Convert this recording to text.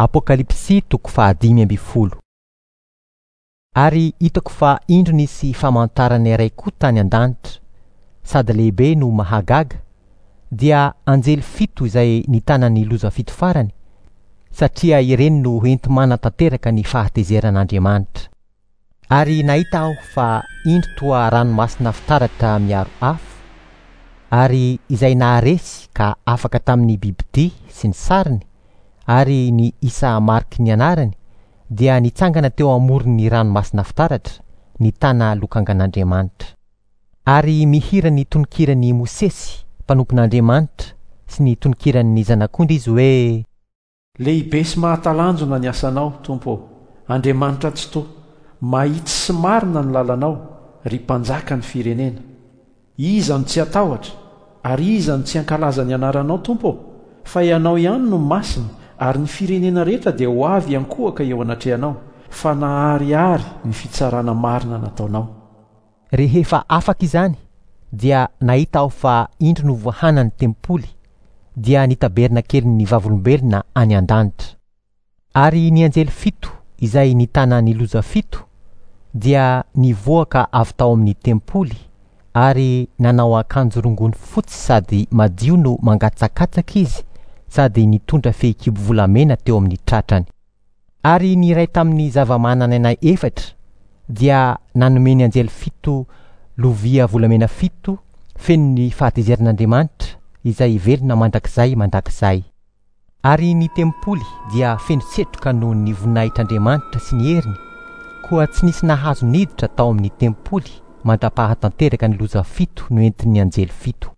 Apokalypsy toko faha-15. Ary hitako fa indro nisy famantarana iray koa tany an-danitra, sady lehibe no mahagaga, dia anjely fito izay nitana ny loza fito farany, satria ireny no hoenti-manatanteraka ny fahatezeran'Andriamanitra. Ary nahita aho fa indro toa ranomasina fitaratra miaro afo, ary izay naharesy ka afaka tamin'ny bibidia sy ny sariny ary ny isa mariky ny anarany dia nitsangana teo amoron'ny ranomasina fitaratra, nitana lokangan'Andriamanitra. Ary mihira ny tononkiran'i Mosesy, mpanompon'Andriamanitra, sy ny tononkiran'ny Zanak'ondry izy hoe. Lehibe sy mahatalanjona ny asanao, Tompo ô, Andriamanitra Tsitoha, mahitsy sy marina ny lalanao, ry Mpanjaka ny firenena. Iza no tsy hatahotra, ary iza no tsy hankalaza ny anaranao, Tompo ô? Fa Ianao ihany no masina, ary ny firenena rehetra dia ho avy hiankohoka eo anatrehanao, fa naharihary ny fitsarana marina nataonao. Rehefa afaka izany, dia nahita aho fa indro novoahana ny tempoly, dia ny tabernakelin'ny Vavolombelona any an-danitra. Ary ny anjely fito izay nitana ny loza fito dia nivoaka avy tao amin'ny tempoly ary nanao akanjo rongony fotsy sady madio no mangatsakatsaka izy sady nitondra fehikibo volamena teo amin'ny tratrany. Ary ny iray tamin'ny zava-manan'aina efatra dia nanome ny anjely fito lovia volamena fito feno ny fahatezeran'Andriamanitra izay velona mandrakizay mandrakizay. Ary ny tempoly dia feno setroka noho ny voninahitr'Andriamanitra sy ny heriny, koa tsy nisy nahazo niditra tao amin'ny tempoly mandra-pahatanteraka ny loza fito noentin'ny anjely fito.